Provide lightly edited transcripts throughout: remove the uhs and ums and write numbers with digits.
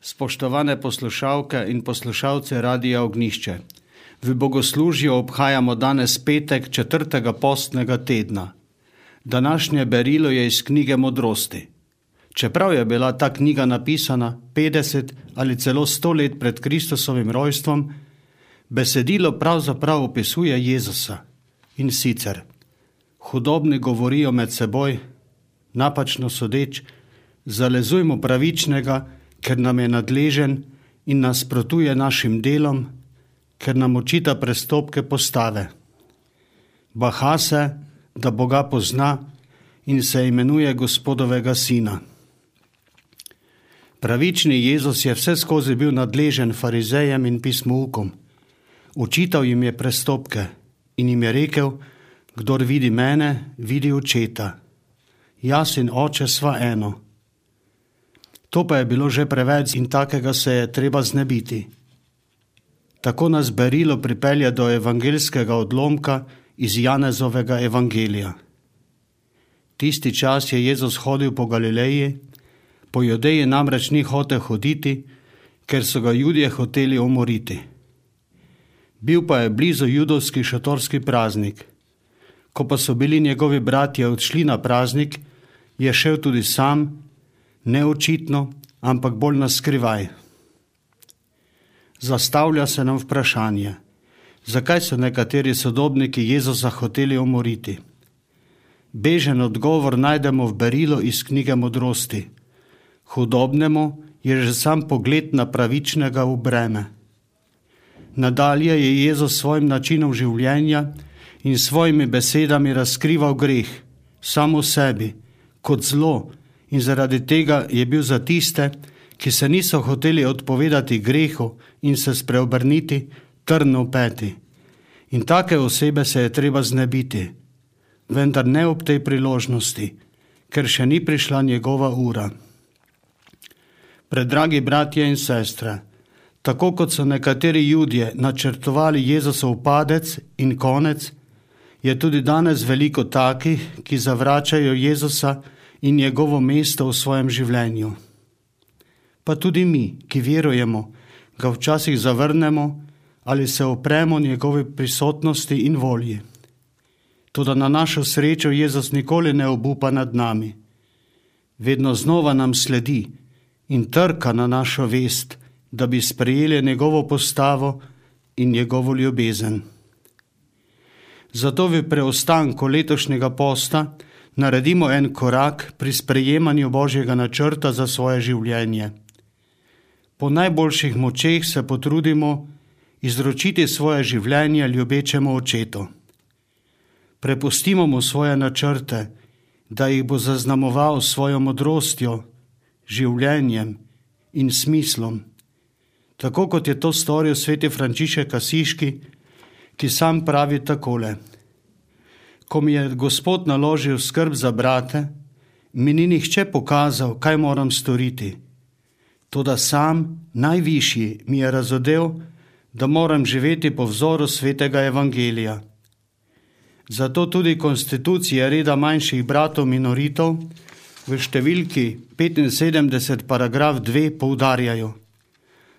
Spoštovane poslušalke in poslušalce Radia Ognjišče, v bogoslužju obhajamo danes petek 4. postnega tedna. Današnje berilo je iz knjige Modrosti. Čeprav je bila ta knjiga napisana 50 ali celo 100 let pred Kristusovim rojstvom, besedilo pravzaprav opisuje Jezusa. In sicer, hudobni govorijo med seboj, napačno sodeč, zalezujmo pravičnega, ker nam je nadležen in nasprotuje našim delom, ker nam očita prestopke postave. Baha se, da Boga pozna in se imenuje Gospodovega sina. Pravični Jezus je vse skozi bil nadležen farizejem in pismoukom. Očital jim je prestopke in jim je rekel, kdor vidi mene, vidi očeta. Jaz in oče sva eno. To pa je bilo že preveč in takega se je treba znebiti. Tako nas berilo pripelje do evangeljskega odlomka iz Janezovega evangelija. Tisti čas je Jezus hodil po Galileji, po Judeji namreč ni hotel hoditi, ker so ga Judje hoteli umoriti. Bil pa je blizu judovski šatorski praznik. Ko pa so bili njegovi bratje odšli na praznik, je šel tudi sam, neočitno, ampak bolj naskrivaj. Zastavlja se nam vprašanje, zakaj so nekateri sodobniki Jezusa hoteli umoriti. Bežen odgovor najdemo v berilu iz knjige Modrosti. Hudobnemu je že sam pogled na pravičnega v breme. Nadalje je Jezus svojim načinom življenja in svojimi besedami razkrival greh, samo sebi, kot zlo, in zaradi tega je bil za tiste, ki se niso hoteli odpovedati grehu in se spreobrniti, trn v peti. In take osebe se je treba znebiti, vendar ne ob tej priložnosti, ker še ni prišla njegova ura. Predragi bratje in sestre, tako kot so nekateri Judje načrtovali Jezusov padec in konec, je tudi danes veliko takih, ki zavračajo Jezusa in njegovo mesto v svojem življenju. Pa tudi mi, ki verujemo, ga včasih zavrnemo ali se opremo njegovi prisotnosti in volji. Toda na našo srečo Jezus nikoli ne obupa nad nami. Vedno znova nam sledi in trka na našo vest, da bi sprejeli njegovo postavo in njegovo ljubezen. Zato v preostanku letošnjega posta naredimo en korak pri sprejemanju Božjega načrta za svoje življenje. Po najboljših močeh se potrudimo izročiti svoje življenje ljubečemu očetu. Prepustimo mu svoje načrte, da jih bo zaznamoval svojo modrostjo, življenjem in smislom. Tako kot je to storil sveti Frančišek Asiški, ki sam pravi takole: ko mi je Gospod naložil skrb za brate, mi ni nihče pokazal, kaj moram storiti. Toda sam, najvišji, mi je razodel, da moram živeti po vzoru svetega evangelija. Zato tudi konstitucije reda manjših bratov minoritov v številki 75 paragraf 2 poudarjajo: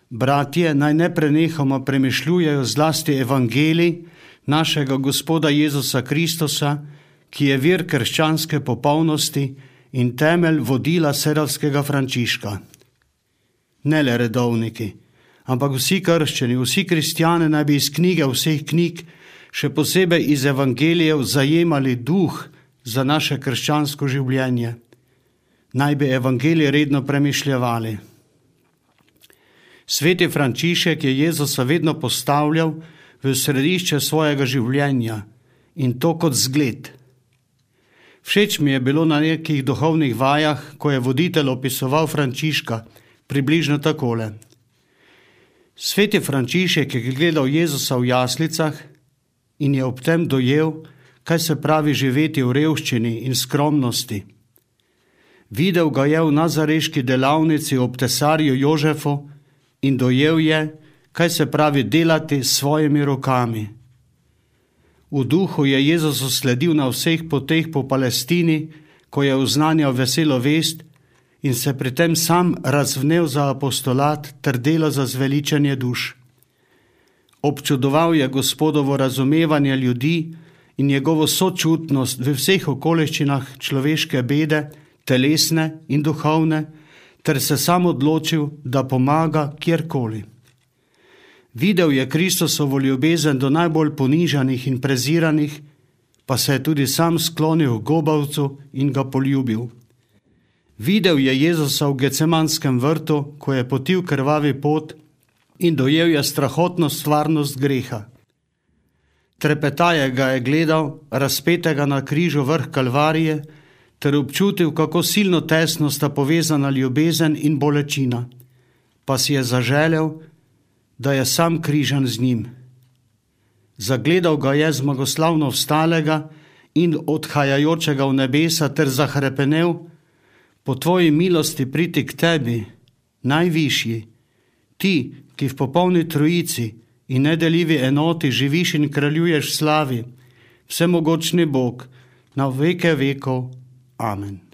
bratje, naj ne prenehoma premišljujejo zlasti evangelij našega Gospoda Jezusa Kristusa, ki je vir krščanske popolnosti in temelj vodila serovskega Frančiška. Ne le redovniki, ampak vsi krščani, vsi kristjani naj bi iz knjige vseh knjig, še posebej iz evangelijev, zajemali duh za naše krščansko življenje. Naj bi evangelije redno premišljevali. Sveti Frančišek je Jezusa vedno postavljal v središče svojega življenja in to kot zgled. Všeč mi je bilo na nekih duhovnih vajah, ko je voditelj opisoval Frančiška, približno takole. Sveti Frančišek je gledal Jezusa v jaslicah in je ob tem dojel, kaj se pravi živeti v revščini in skromnosti. Videl ga je v nazareški delavnici ob tesarju Jožefu in dojel je, kaj se pravi delati s svojimi rokami. V duhu je Jezusu sledil na vseh poteh po Palestini, ko je oznanjal veselo vest in se pri tem sam razvnel za apostolat ter delo za zveličanje duš. Občudoval je Gospodovo razumevanje ljudi in njegovo sočutnost v vseh okoliščinah človeške bede, telesne in duhovne, ter se sam odločil, da pomaga kjerkoli. Videl je Kristusovo ljubezen do najbolj ponižanih in preziranih, pa se je tudi sam sklonil k gobavcu in ga poljubil. Videl je Jezusa v Gecemanskem vrtu, ko je potil krvavi pot in dojel je strahotno stvarnost greha. Trepetaje ga je gledal, razpetega na križu vrh Kalvarije, ter občutil, kako silno tesno sta povezana ljubezen in bolečina, pa si je zaželel, da je sam križan z njim. Zagledal ga je zmagoslavno vstalega in odhajajočega v nebesa ter zahrepenel: po tvoji milosti priti k tebi, najvišji, ti, ki v popolni trojici in nedeljivi enoti živiš in kraljuješ v slavi, vsemogočni Bog, na veke vekov. Amen.